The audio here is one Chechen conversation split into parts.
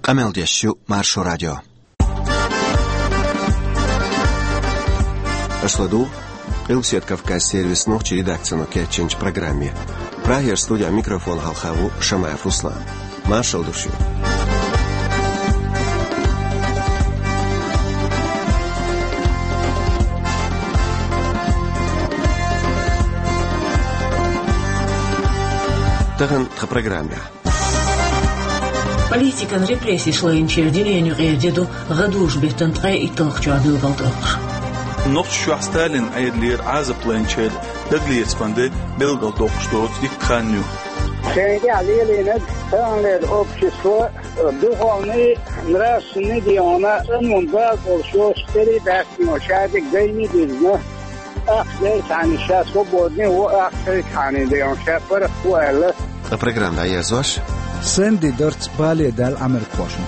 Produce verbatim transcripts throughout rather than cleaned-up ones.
Къамел деш ю Маршо радио. Аша ладугӀу Къилбаседа Кавказ сервисан нохчийн редакцино кечйинчу программе. Прагера студехь микрофон хьалха ву Шамаев Руслан. Маршалла ду шуьга. Тахана тхан программехь. Политикан репрессеш лайначеран дуьненан юкъара де ду гӀадужу-беттан ткъе итталгӀачохь билгалдоккхуш. Нохчийчохь Сталинан Ӏедалера Ӏазап лайначеран дагалецаман де билгалдоккхуш доцу дикка хан ю. Шайна тӀехь лелийнарг таханлера общество духовный, нравственный дегӀана цӀанван бала болуш йоцуш тӀерий баьхкина шадерг дайна дирзина. Ахча дерг цхьаьна ша свободный ву, ахча шайга хьаний дайна ша паргӀат ву аьлла. Ткъа программа дӀаерзош. Сэнди дарц бале даьлла Ӏамеркхошна.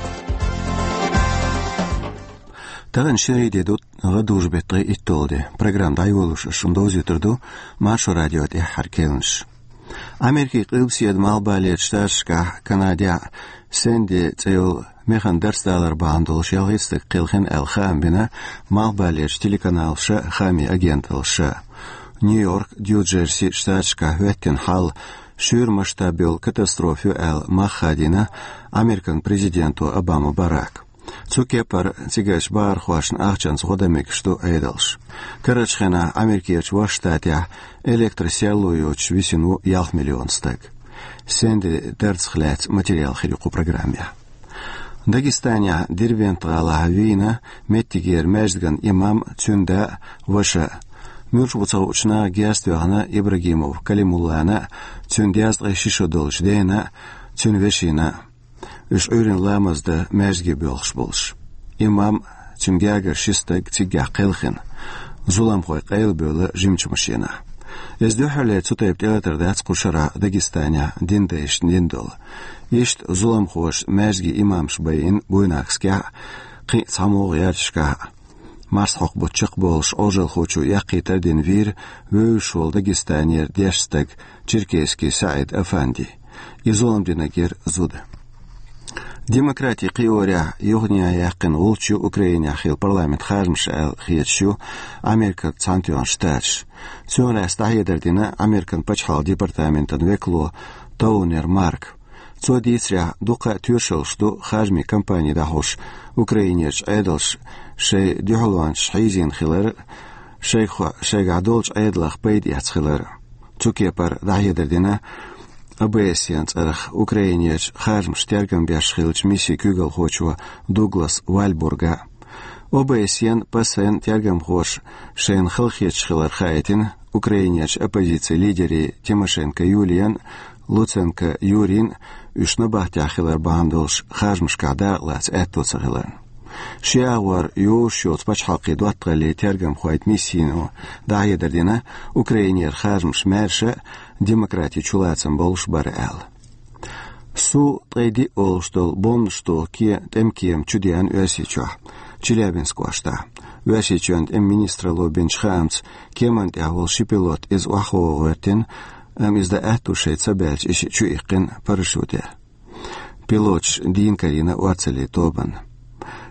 Тахана шерий де ду, гӀадужу-беттан ткъе итталгӀа де. Программа дӀайолош ас шуна довзуьйтур ду Маршо радион тӀаьххьара керланаш. Америкин Къилбаседа Малхбалерчу Штаташкахь, Канадехь Сэнди цӀе йолу механа дарц далар бахьана долуш ялхитта стаг кхелхина аьлла хаам бина Малхбалерчу телеканалаша а, хаамийн агенталлаша а. Нью-Йорк, Нью-Джерси штаташкахь хӀоьттина хьал шуьйра масштаб йолу катастрофа ю аьлла мах хадийна Американ президенто Обама Барака. Цу кепара цигарчу бахархошна ахчанца гӀо дан мегаш ду Ӏедалша. Карарчу хенахь Америкерчу Ваша Штатехь электросерло йоцуш висина ву ялх миллион стаг. Сэнди дарцах лаьцна материал хир ю кху программехь. Дагестанехь Дербент-гӀалахь вийна меттигера маьждиган имам, цуьнан да а, ваша а. Муьлш бу ца хуучу наха герз тоьхна Ибрагимов Калимуллана а, цуьнан дезткъе ши шо долчу дена а, цуьнан вешина а. Уьш Ӏуьйранна ламаз дан маьждиге боьлхуш болуш. Имам, цуьнан гергара ши стаг циггахь кхелхина. Зуламхой къайлабевлла жимачу машенахь. Иза дуьххьарлера цу тайпа тӀелатар дац кху шарахь Дагестанехь дин дайшна дина долу. Иштта зуламхоша маьждиге имамаш байина Буйнакскехь а, кхин а цхьамогӀа гӀерташкахь а. Марсхьокху бутт чекхболуш Ӏожалхочо эккхийтар а дина вийра вевзаш волу Дагестанера дешна стаг Черкесский СаӀид-Афанди. И зулам динарг яра зуда. Демократин кхиорехь юханехьа яьккхина гӀулч ю Украинехь хилла парламентан харжамаш аьлла хеташ ю Американ Цхьаьнатоьхна Штаташ. Цунах лаьцна дӀахьедар дина Американ пачхьалкхан департаментан векало Тоунер Марка. Цо дийцарехь, дуккха а тоьшаллаш ду харжамийн кампани дӀахьош Украинерчу Ӏедалша шайн дуьхьалончаш хьийзийна хилар а, шайх-, шайгахь долчу Ӏедалх пайда эцна хилар а. Цу кепара дӀахьедар дина ОБСЕ-н цӀарах Украинерчу харжамашна тергам беш хиллачу миссин куьйгалхочо Дуглас Вальбурга. ОБСЕ-н, ПАСЕ-н тергамхоша шайна халахеташ хилар хаийтина Украинерчу оппозицин лидерийн Тимошенко Юлиян, Луценко Юрин уьш набахтехь хилар бахьана долуш харжамашкахь дакъалаца аьтто ца хиларна. Ши агӀор йозуш йоцу пачхьалкхийн доттагӀаллин тергамхойн миссино дӀахьедар дина Украинера харжамаш маьрша а, демократин чулацам болуш бара аьлла. Су ткъе диъ олуш долу бомбанаш доху ке-, тӀеман кема чудеана Оьрсийчохь, Челябинск кӀоштахь. Оьрсийчоьнан тӀеман министралло бинчу хаамца, кеманна тӀехь волу ши пилот иза охьахоха гӀоьртина, амма иза дан аьтто шайна ца баьлча, и шиъ чуиккхина парашютехь. Пилоташ дийна карийна орцаллин тобанна.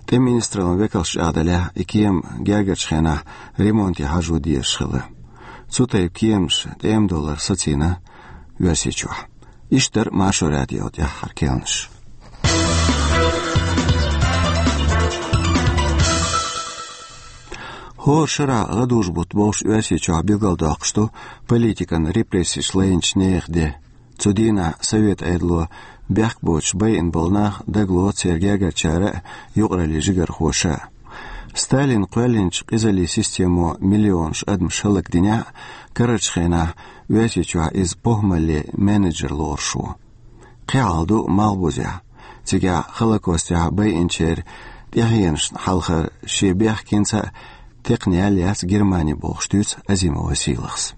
ТӀеман министраллин векалша чӀагӀдалехь, и кема гергарчу хенахь ремонте хьажо дезаш хилла. Цу тайпа кеманаш тӀема долара сацийна Оьрсийчохь. Иштта дара Маршо радион тӀаьххьара керланаш. ХӀора шарахь гӀадужу-бутт бовш Оьрсийчохь билгалдоккхуш ду политикан репрессеш лайначу нехан де. Цу дийнахь Совет Ӏедало бехк боцуш байина болу нах дагалоцу церан гергарчара а, юкъараллин жигархоша а. Сталина кхоьллинчу къизаллин системо миллионаш адамаш хӀаллакдинехь а, карарчу хенахь Оьрсийчохь иза похӀмаллин менеджер лоруш ву. Кхин хьал ду Малхбузехь. Цигахь Холокостехь байинчеран тӀаьхьенашна хьалхара шен бехкенца а текхна ял яц Германи бохуш дуьйцу Азимов Василас.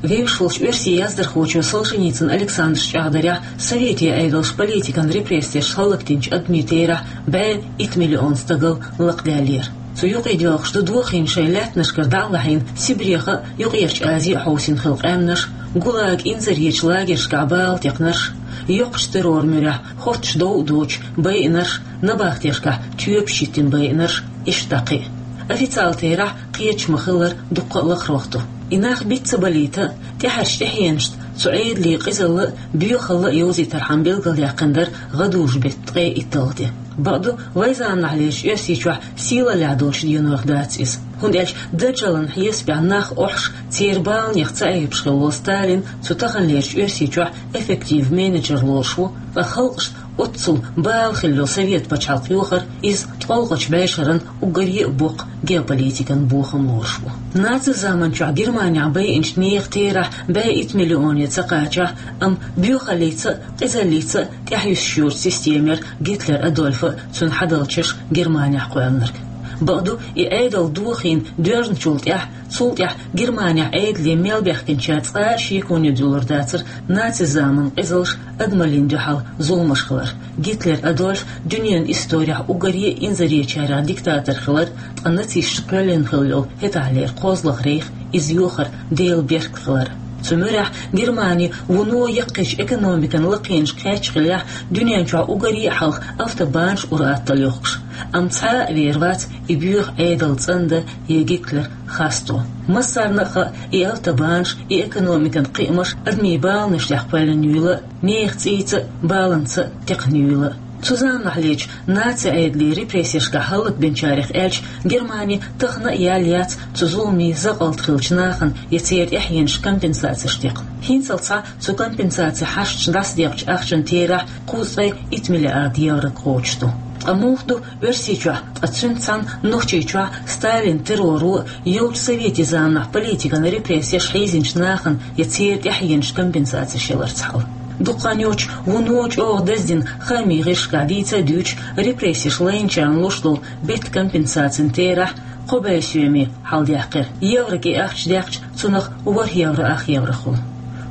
Вевзаш волчу оьрсийн яздархочо Солженицын Александра чӀагӀдарехь, советийн Ӏедалша политикан репрессеш хӀаллакдинчу адамийн терахь бӀе итт миллион стагал лакхадаьллера. Цу юкъе доьлхуш ду дохийна шайн лаьттанашкара дӀа а лахьийна, Сибрех а, Юккъерчу Азе а хьовсийна хилла къаьмнаш, ГУЛАГ, инзаречу лагершкахь бала текхнарш, Йоккхачу террор муьрехь хоттуш дов а доцуш байинарш, набахтешкахь тоьпаш йиттина байинарш, иштта кхин а. Официалан терахь кхеташ ма-хиллара дуккха а лакхарх ду. И нах биц ца балийта а, тӀаьхьарчу тӀаьхьенашца цу Ӏедалан къизалла а, боьхалла а йовзийтархьама билгалъяьккхина дара гӀадужу-беттан ткъе итталгӀа де. Бакъду, вайн заманахьлерчу Оьрсийчохь сийлаллехь долчу денойх дац иза. ХӀунда аьлча даржаллин хьесапехь нах охьуш, церан баланех ца Ӏебаш хилла волу Сталин цу таханлерчу Оьрсийчохь эффектив менеджер лоруш ву, ткъа халкъашна оццул бала хилла йолу совет пачхьалкх йохор иза ткъолгӀачу бӀешеран уггаре а боккха геополитикан бохам лоруш ву. Наци заманчохь Германехь байинчу нехан терахь бӀе итт миллионе ца кхачахь, амма боьхаллица а, къизаллица а тӀаьхьа юьсуш йоцу система яра Гитлер Адольфа а, цуьнан хьадалчаша Германехь кхоьллинарг. Бакъду, и Ӏедал дохийна доьжначул тӀаьхьа, цул тӀаьхьа Германехь Ӏедале мел баьхкинчара цкъа а шеконе дуьллур дацара наци заманан къизаллаш, адамаллина дуьхьал зуламаш хилар. Гитлер Адольф дуьненан исторехь уггаре а инзаречарех диктатор хилар, ткъа нацисташа кхоьллина хилла йолу хӀетахьлера кхозлагӀа рейх иза йохар Делан беркат хилар. Цу муьрехь Германи вуно яккхийчу экономикан лакхенашка кхаьчна хиллехь, дуьнен чохь уггаре а хьалха автобанаш ур-атталла йохкуш. Амма цхьа а вер вац и боьха Ӏедал цӀандан я Гитлер хасто. Массарна а хаьа, и автобанаш, и экономикан кхиамаш адамийн баланех кхоьллина юйла а, нехан цӀийца а, баланца а текхна юйла а. Цу заманахьлерчу наци Ӏедалан репрессешкахь хӀаллакбинчарех аьлча, Германи тахана а яьлла яц цу зуламийн закъалт хиллачу нахана я церан тӀаьхьенашна компенсацеш текхна. ХӀинццалц цу компенсацин хьашташ дӀасадекъчу ахчанан терахь кхузткъе итт миллиард евро кхочуш ду. Ткъа муха ду Оьрсийчохь, ткъа цуьнца цхьаьна Нохчийчохь Сталинан терроро а, йолчу советийн заманахь политикан репрессеш хьийзинчу нахана я церан тӀаьхьенашна компенсацеш яларца хьал? Дукха хан йоццуш вуно чӀогӀа даздина хаамийн гӀирсашкахь дийца а дуьйцуш, репрессеш лайначарна луш долу беттан компенсацин терахь кхо бӀе соьме хьалдаьккхира. Еврокъе ахча даьккхича, цунах ворхӀ евро ах евро хуьлу.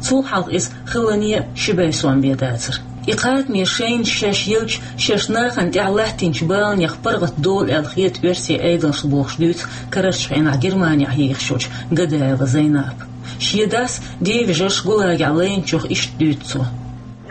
Цул хьалха иза хиллане а ши бӀе сом бен дацара. И кхатаме шайна шаьш елча, шаьш нахана тӀехь латтийначу баланех паргӀат долу аьлла хета оьрсийн Ӏедалшна бохуш дуьйцу карарчу хенахь Германехь ехаш йолчу Гадаева Зайнапа. Шен дас, девежарш ГУЛАГехь лайначух иштта дуьйцу цо.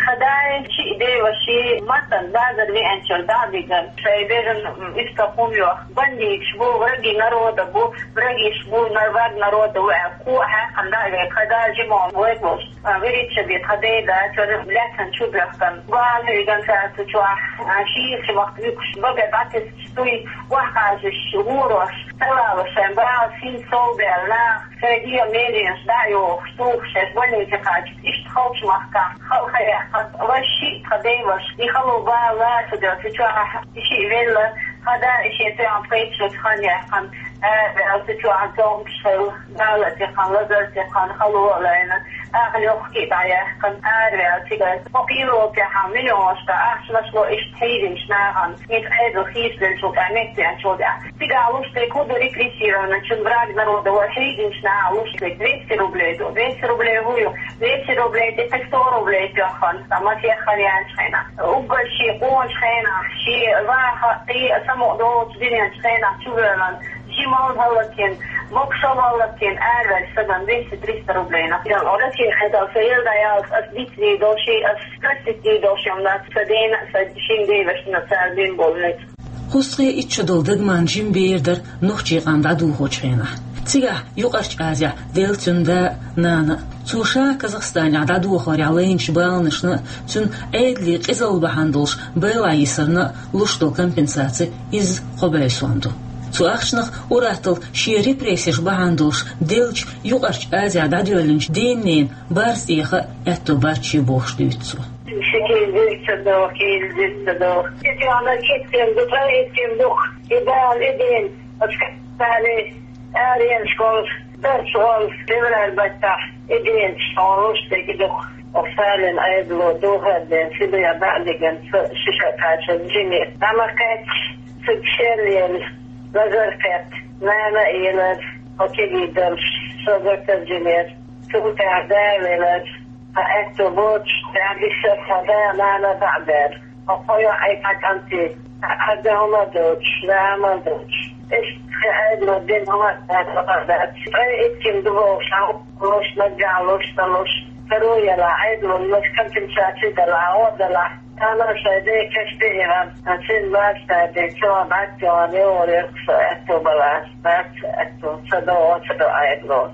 Хадайн шиъ деваши маттан базар веанчуьра дӀа а биган, шайн бежан иштта хӀума йоху. Бандиташ бу, враги народа бу, врагиш бу, враг народа ву аьлла, кхо а хьаькхна дӀа а вега, хада жимон вайгуш. А, вирича бе тха дей дачуьра лаьцна чу бехкан. Бала хӀуьйган цаьрца чохь, а, шийрачу вахта вуькуш, бага дӀатесачу туй, охьакхажаш, гӀорош, талалаш шайн бала син сов баьлла нах, шайн дегӀан меренаш дӀа а йохуш, тухуш, шаьш больнице кхача, иштта халчу махкахь, халха яьккхина, вай шиъ тха дей ваша, и хало бала лаца делла, цу чохь и шиъ велла, хада и шен тоьхна пхийтта шо хан яьккхина, аьлла, цу чохь зовнаш хилла, бала а текхна, лазар а текхна, хало а лайна, ахьа лохки а дӀаяьккхина, араваьлла цигара. Кхо кхийролчехьа миллионашка ахчанаш ло иштта хьийзинчу нахана, иза Ӏедал хийцаделла чул тӀаьхьа, меттаеанчул тӀаьхьа. Цигахь луш дерг хӀун ду, репрессированный, чун враг народа вара хьийзинчу наха луш дерг двести рублей ду. Двести рублей хӀун ю? Двести рублей тӀе кхин сто рублей тоьхна, сан масех хан яьллачу хенахь. Уггар шен къоначу хенахь, шен ваха, кхин а самукъа долчу дуьненчу хенахь чувоьллина, жималла хӀаллакйина, мокшалла хӀаллакйина, араваьлла сагана двести-триста рублей нах. Россия хьедал сан ел дӀаяллалц ас дицдийр долу ши, ас простить дийр долу ши ма дац, сан дена а, сан шин девашна а цара бина болу ницкъ. Кхузткъе итт шо долу Дагман жима бер дара нохчийн къам дӀадохучу хенахь. Цигахь Юкъарчу Азехь делла цуьнан да а, нана а. Цо ша Казахстанехь дӀадохорехь лайначу баланашна а, цуьнан Ӏедалан къизалла бахьана долуш байлахь йисарна а луш долу компенсаци изза кхо бӀе сом ду. Цу ахчанах ур-атталла шен репрессеш бахьана долуш деллачу Юкъарчу Азехь дӀадоьллинчу ден-ненан барз тӀеха а аьтто бац шен бохуш дуьйцу цо. Ши кийла дирца доху, кийла дирца доху. Цига ана киттина ду, ткъа иттина ду, и бала, и дин, оцу кхаьчтале, аренаш волуш, дарч волуш, февраль баттахь, и дин, школуш дерг ду. Оцу Сталин Ӏедало духар ден, Сибре дӀа а диган, со шиша кхачан жиме. ДӀа ма кхаьчча, цига шел елла, лазар кхетта, нана а елар, оцу кегий долуш, со гартар жимера. Цул тӀаьхьа да велар. Ткъа аьтто боцуш, тӀаьхьа диссар тхан да, нана дӀа а баьлла. Хьо кхо йоӀ, кхо кӀанти, хьан да хӀума доцуш, да хӀума доцуш. Иштта тхан Ӏедало дина хӀума а дац, бакъ а дац. Ткъе иттина ду бохуш, хьан луш, наггахь луш, ца луш. Таро яла, Ӏедало компенсаци дала, гӀо дала. Тана шайде каште иран. Ачин бац тайде, чо бац, чо не оре, со это балас, бац это, садо, садо Ӏедало.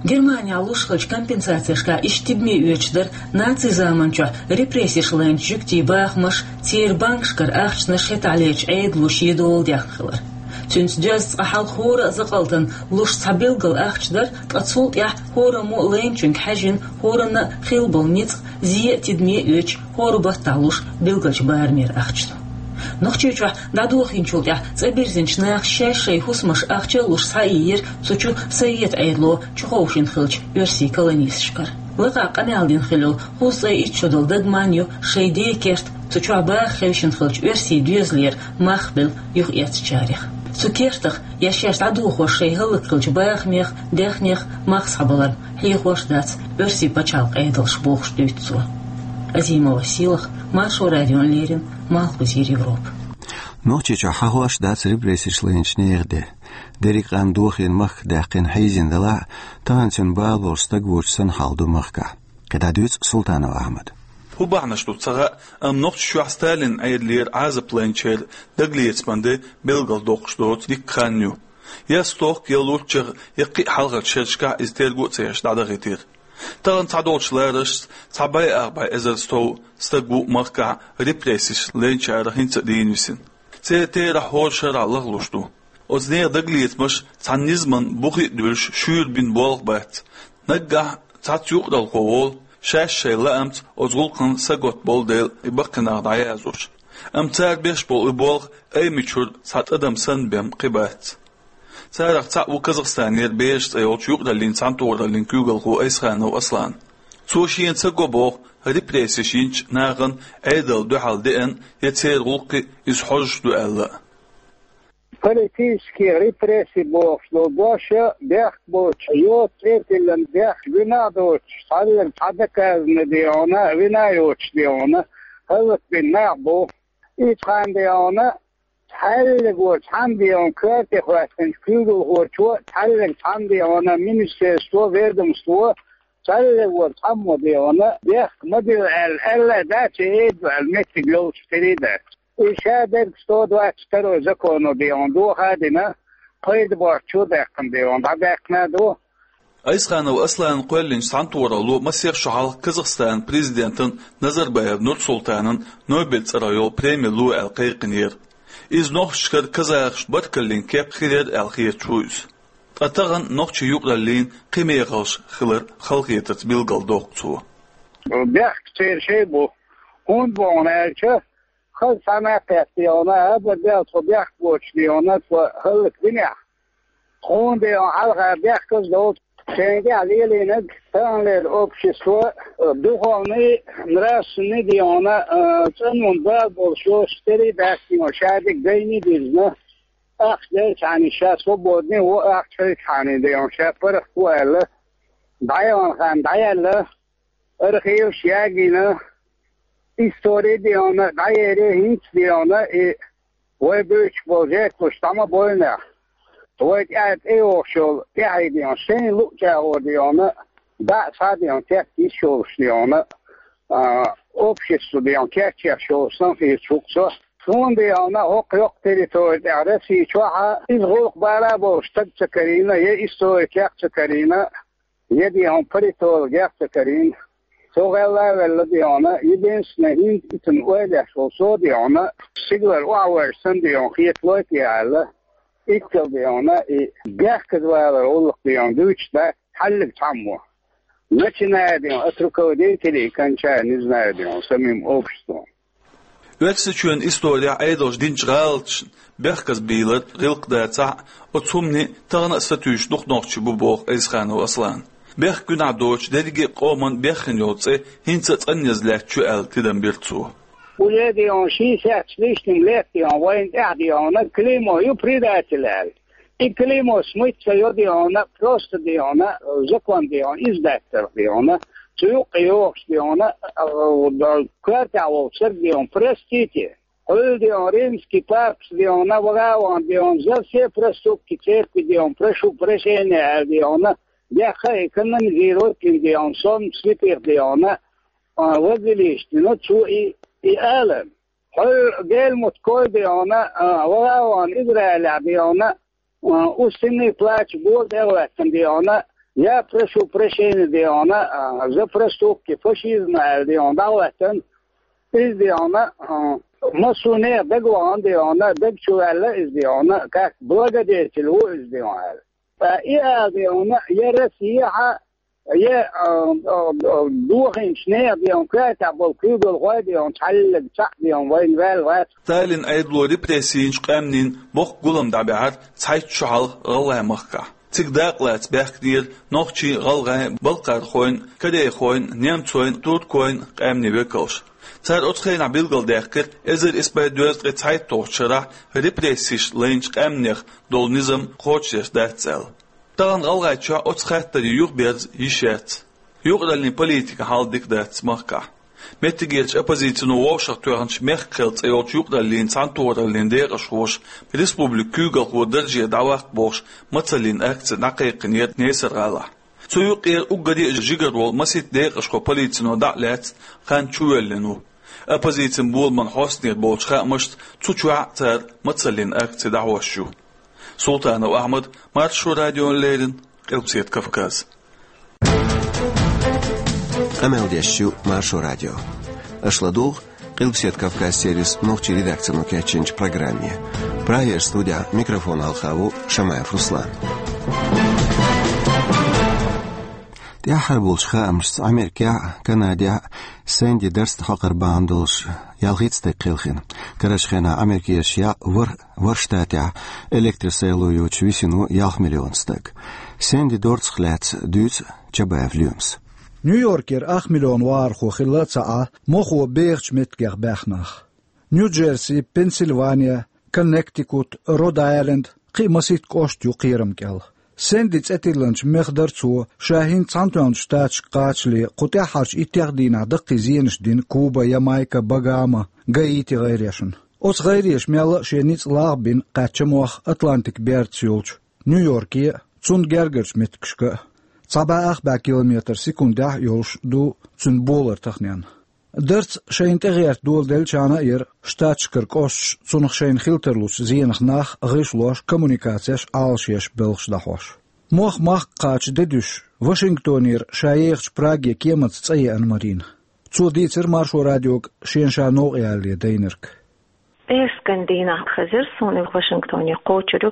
Германехь луш хилча компенсацешкахь иштта тидаме оьцуш дара нацийн заманчохь репрессеш лайначу жуьгтийн бахамаш, церан банкашкара ахчанаш хӀетахь лерчу Ӏедало шен дола дехна хилар. Цуьнца доьзна цкъа хьалха хӀора а закъалтана луш цхьа билггал ахча дара, ткъа цул тӀаьхьа хӀораммо а лайначуьнга хьаьжжина, хӀоранна а хилла болу ницкъ зе а тидаме а оьцуш, хӀора баттахь луш билгалчу барамера ахча ду. Нохчийчохь дӀадохийначул тӀаьхьа цӀа бирзинчу наха шаьш шайн хӀусамаш ахча а луш схьаийира цу чу Совет Ӏедало чуховшийна хиллачу оьрсийн колонисташкара. Лакхахь къамел дина хилла йолу кхузткъе итт шо долу дагаман ю шайн ден керта цу чохь баха хевшина хиллачу оьрсийн доьзалера мах белла юхаэцначарех. Цу кертах я шаьш дӀадохош шайн хӀаллакьхиллачу бахамех, даьхнех мах схьабалар хьехош дац оьрсийн пачхьалкхан Ӏедалша бохуш дуьйцу цо. Азимова Сийлаха, Маршо радиона леррина, Малхбузера Европа. Нохчийчохь хьахош дац репрессеш лайначу нехан де. Дерриг а къам дохийна махках даьккхина хьийзийна далахь а, тахана цуьнан бала болуш стаг воцуш санна хьал ду махкахь. КхидӀа дуьйцу Султанов Ахьмада. ХӀун бахьанаш ду ца хаьа, амма Нохчийчохь Сталинан Ӏедалера Ӏазап лайначеран дагалецаман де билгалдоккхуш доцу дикка хан ю. Я стохка, я луччагӀа, я кхин а хьалхарчу шерашкахь иза терго а ца еш дӀадахийтира. Тахана цхьадолчу ларашца цхьа бӀе ах бӀе эзар стов стаг ву махкахь репрессеш лайначара хӀинца а дийна висина. Церан терахь хӀора шарахь лахлуш ду. Оцу нехан дагалецамаш цхьана низаман бухе а дуьллуш шуьйра бина болх бац. Наггахь цхьацца юкъараллехь волу, шаьш шайн лаамца оцу гӀуллакхна сагатта болу дела и баккхий нах дӀаяздеш. Амма цара беш болу и болх Аймачуьра цхьа тӀадам санна бен кхин бац. Царах цхьаъ ву Казахстанера «Бераш» цӀе йолчу юкъараллин цхьаьнатохараллин куьйгалхо Айсханов Аслан. Цо шена ца го боху репрессеш йинчу нахана Ӏедална дуьхьал деана я церан гӀуллакхе иза хьожуш ду аьлла а. Политический репрессий бохуш долу дош а бехк боцуш, йоцу цӀе тиллина бехк, вина а доцуш, цхьаьлларг цхьа доказано де хьуна, вина а йоцуш де хьуна, хӀаллакбина нах бу. Иза цхьаьна де хьуна, цхьаьлларг вара цхьамма де хьуна коьрте хӀоьттинчу куьйгалхочо, цхьаьлларг цхьамма де хьуна министерство, ведомство, цхьаьлларг вара цхьаммо де хьуна, бехк ма дилла аьлла, аьлла а дац, и эда аьлла меттиг йолуш хир а дац. И ша дерг сто двадцать второй законо де хьуна доха а дина, пайда боцчу а даьккхина де хьуна, дӀадаьккхина а ду. Айсханов Асланна кхоьллинчу цхьаьнатохаралло масех шо хьалха Казахстанан президентан Назарбаев Нурсултанан Нобель цӀарах йолу преми ло аьлла кхайкхинера. Иза нохчашкара казахашна баркаллин кеп хир яра аьлла хеташ ву иза. Ткъа тахана нохчийн юкъараллин кхин мехалш хилар халахетарца билгалдоккху цо. Бехк церан шайн бу. ХӀунда боху аьлча, хаза цхьа накхетта де хьуна, абар дел тхо бехк боцуш де хьуна, тхо хӀаллакбинехь. Тхуна де хьуна хьалха бехказа долчу, шайна тӀехь лелийнарг, таханлера общество, духовный, нравственный де хьуна, цӀанонан бала болуш йоцуш тера а дац, де хьуна, ша дерг дайна а дизна, ахча делчхьана ша свободный а ву, ахча хилчхьана де хьуна, ша паргӀат ву аьлла, дӀаяьлла хан дӀаяьлла, архиваш ягийна, истори де хьуна, дӀаери хӀинца де хьуна, и вай буьйцуш болу жертваш дӀа ма бойнехь. Вай тӀаьхьа тӀейогӀуш йолу тӀаьхье де хьуна, шайна луъучу агӀор де хьуна, дӀа а схьа де хьуна, тетта йиш йолуш де хьуна, а, общество де хьуна, кечъеш йолуш санна хеташ ву-кх со. Суна де хьуна, хӀокху йоккха территори тӀехь Росси чохь а иза гӀуллакх бала а болуш стаг ца карийна, я историкех а ца карийна, я де хьуна политологех а ца карийна. Со гӀелла а велла де хьуна, единственное, хӀинца ицунна ойла еш волу со де хьуна, стигалара охьавоьжна санна де хьуна хеталой те аьлла, иццал де хьуна, и бехказа валар гӀуллакх де хьуна дуьйцуш дац хьаллиг цхьаммо. Начиная де хьуна от руководителей и кончая, не знаю, де хьуна, самим обществом. Оьрсийчоьнан исторехь Ӏедалша динчу гӀалаташна бехказбийлар гӀиллакх дацахь а, оцу хӀуманийн тахана а сатуьйсуш дукха нохчий бу, боху Айсханов Аслана. Бехк гуьнахь доцуш дерриге а къоман беххина йолу цӀе хӀинца а цӀанъяза лаьтташ ю аьлла тидам бира цо. Уже де хьуна шестьдесят с лишним лет де хьуна вайна тӀехь де хьуна клеймо ю предатель аьлла. И клеймо смыть ца йо де хьуна, просто де хьуна, закон де хьуна, иза даьттарх де хьуна, цу юккъе йогӀуш де хьуна, а, а, коьртехь волчу стаг де хьуна, простите. Хьуьлла де хьуна, римский папас де хьуна, вагӀа а вахана де хьуна, за все проступки церкви де хьуна, прошу прощения аьлла де хьуна, Дехха и канонизировать дина, дий хьона, сом слепых, дий хьона, а, вазилиш дина, цо и, и ала. Хьо Гелмут Кой, дий хьона, а, вала ван Израиле, дий хьона, а, усиленный плач бола тӀехӀоьттина, дий хьона, я прошу прощения, дий хьона, а, за проступки фашизма аьлла, дий хьона, дӀахӀоьттина. Иза, дий хьона, а, массо а нехан дага вахана, дий хьона, дага чу ваьлла иза, дий хьона, как благодетель ву иза, дий хьона, аьлла. Ткъа и ала, дий хьона, я Россехьа, я, а, а, а, дохийначу нехан, дий хьона, коьртехь болу куьйгалхой, дий хьона, цхьаллиг цхьаъ, дий хьона, вайна ваьлла вац. Сталин Ӏедало репрессийчу къаьмнийн боккха гулам дӀабаьхьира цхьайтта шо хьалха ГӀалгӀай махкахь. Цига дакъалаца баьхкинера нохчийн, гӀалгӀайн, балкхархойн, корейхойн, немцойн, туркойн къаьмнийн векалш. Цара оцу хенахь билгалдаьккхира, эзар исс бӀе дезткъе цхьайтталгӀачу шарахь репрессеш лайначу къаьмнех долу низам кхочушдеш дац аьлла. Тахана ГӀалгӀайчохь оцу хаттарийн юхаберза йиш яц. Юкъараллин политикан хьал дика дац махкахь. Меттигерчу оппозицино вовшахтоьхначу «Мехкан кхел» цӀе йолчу юкъараллин цхьаьнатохараллин декъашхоша республикан куьйгалхо дарже дӀаваккха бохуш мацаллин акци дӀакхайкхинера Несар-ГӀалахь. Цу юккъера уггаре а жигара волу масийтта декъашхо полицино дӀа а лаьцна, хан чувоьллина ву. Оппозицин боламан хьостанера болчу хаамашца, цу чохь а цара мацаллин акци дӀахьош ю. Султанов Ахьмад, Маршо радиона леррина, Къилбаседа Кавказ. Къамел деш ю Маршо радио. Аша ладугӀу Къилбаседа Кавказ сервисан нохчийн редакцино кечйинчу программе. Прагера студехь микрофон хьалха ву Шамаев Руслан. ТӀаьххьара болчу хаамашца, Америкехь а, Канадехь а Сэнди дарца хьокхар бахьана долуш ялхитта стаг кхелхина. Карарчу хенахь Америкерчу яккъа ворхӀ, ворхӀ штатехь электросайло йоцуш висина ву ялх миллион стаг. Сэнди дорцах лаьцна дуьйцу Чабаев Лоьмас. Нью-Йоркера ах миллион вахархо хилла а ца Ӏа мохо бехачу меттигех баьхна нах. Нью-Джерси, Пенсильвания, Коннектикут, Род-Айленд, кхин а масийтта кӀошт ю кхерам кӀел. Сэнди цӀе тиллинчу мех дарцо ша хӀинца Цхьаьнатоьхначу Штаташка кхачале кху тӀаьххьарчу иттех дийнахь даккхий зенаш дина Куба, Ямайка, Багама, Гаити гӀайрешна. Оцу гӀайреша мелла а шен ницкъ лаха бина кхаьчна мох Атлантикан бердаца йолчу Нью-Йорке а, цунна гергарчу меттигашка а. Цхьа бӀе ах бӀе километр секундехь а йолуш ду цуьнан болар таханенна. Дарц шайна тӀегӀерта доладеллачарна а яра Штаташкара кӀошташ цунах шайна хила тарлучу зенах нах гӀишлош, коммуникацеш Ӏалашъеш, белхаш дӀахьош. Мох махка кхача де дуьсуш, Вашингтонера ша ехачу Праге кеманца цӀа еана Марина. Цо дийцира Маршо радиога шена ша новкъаялале дайнарг. Пхьерскан дийнахь хезира суна Вашингтоне кхочур ю,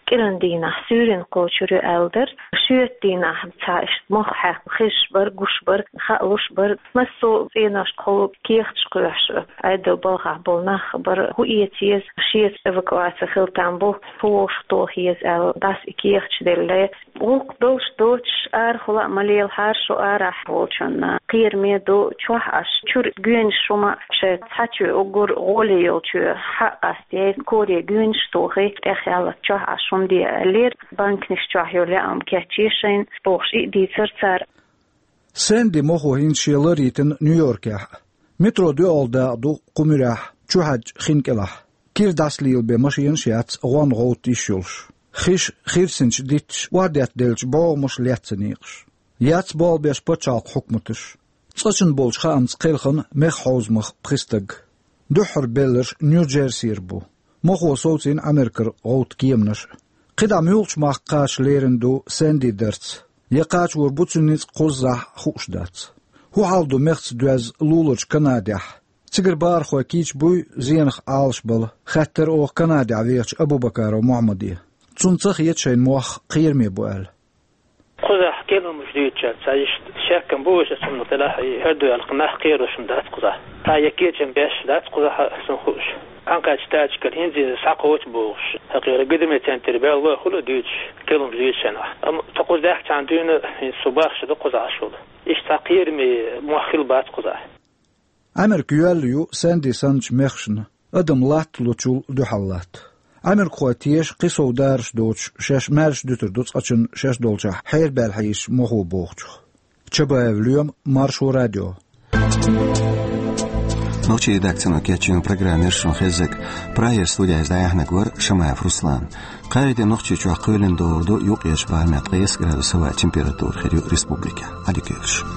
кӀиран дийнахь суьйранна кхочур ю аьлла дара. Шоьтан дийнахь цхьа иштта мох хьаькхна хезаш бара, гуш бара, хаалуш бара. Массо а цӀеношкахула кехаташ кхоьхьуш Ӏедалан балхахь болу нах бара, хӀун эца еза, шеца эвакуаци хила там бу, хӀун вовшахтоха еза аьлла, дӀаса и кехаташ деллале. ГӀуллакх долуш доцуш, арахула а ма лелахьара шу арахь волчунна. Кхераме ду чохь Ӏаш, чуьра гоьнаш хӀума шайн цхьа чоь уггар гӀоле йолчоь хьа а къастъяй, коре гоьнаш тохий, тӀехъяла чохь Ӏаш хӀума де аьллера, банканаш чохь йолу яа хӀума кечъе шайна, бохуш и а дийцира цара. Сэнди мохо хӀинца шен ларйитина Нью-Йоркехь а. Метро доьалгӀа дакъа ду кху муьрехь, чухьаьжча хин кӀелахь. Кира дӀасалелабен машенаш а яц, гӀонна гӀовтту йиш йолуш. Хиш, хирсинчу дитташ, охьадеттаделлачу бӀогӀамаша лаьцна некъаш. Яц болх беш пачхьалкхан хьукматаш. Цкъачунна болчу хаамца кхелхина механ хьовзамах пхи стаг. Дуьххьара белларш Нью-Джерсера бу. Мохо совцийна Америкара гӀовтту кеманаш а. КхидӀа муьлхачу махка кхача лерина ду Сэнди дарц? Я кхачор бу цуьнан ницкъ кхуззахь, хууш дац. ХӀун хьал ду мехца доьзна луларчу Канадехь? Цигара бахархой кийча буй зенах Ӏалашбала, хаьттира оха Канадехь вехачу Абубакаров Мухьаммаде. Цунна ца хета шайна мох кхераме бу аьлла. Кхузахь кхерамаш дуьйцучарна ца иштта шеккам бу, иштта цунах делахь и хӀара дуьхьал нах кхералуш дац кхузахь. Цхьа я кечам беш дац кхузахь, сан хууш. Ӏанкхачу тачкара хӀинца иза схьакхочу бохуш, хӀокхеран гидаме центр баьлло хуьлу дуьйцуш, кхерамаш дуьйцучарна. Амма тхо кхуза даьхкичхьана дуьйна, хӀинца со бахча ду кхузахь шула. Иштта цхьа кхераме мох хила бац кхузахь. Америка йоьлла ю Сэнди санначу мехашна, адам латталучул дуьхьал латта. Америкахой теша кхин сов дараш доцуш, шаьш маьрша дуьтур ду цкъачунна шаьш долчохь хьерабаьлла хьийзачу мохо бохучух. Чабаев Лоьма, Маршо радио. Нохчийн редакцино кечйина программа яр шуна хеззарг. Прагера студехь дӀаяьхьнарг вара Шамаев Руслан. Кхаанен Нохчийчохь кхоьлина догӀур ду юккъерчу барамехь ткъе исс градус хӀаваан температура, хир ю республикехь. Ӏадика йойла шун.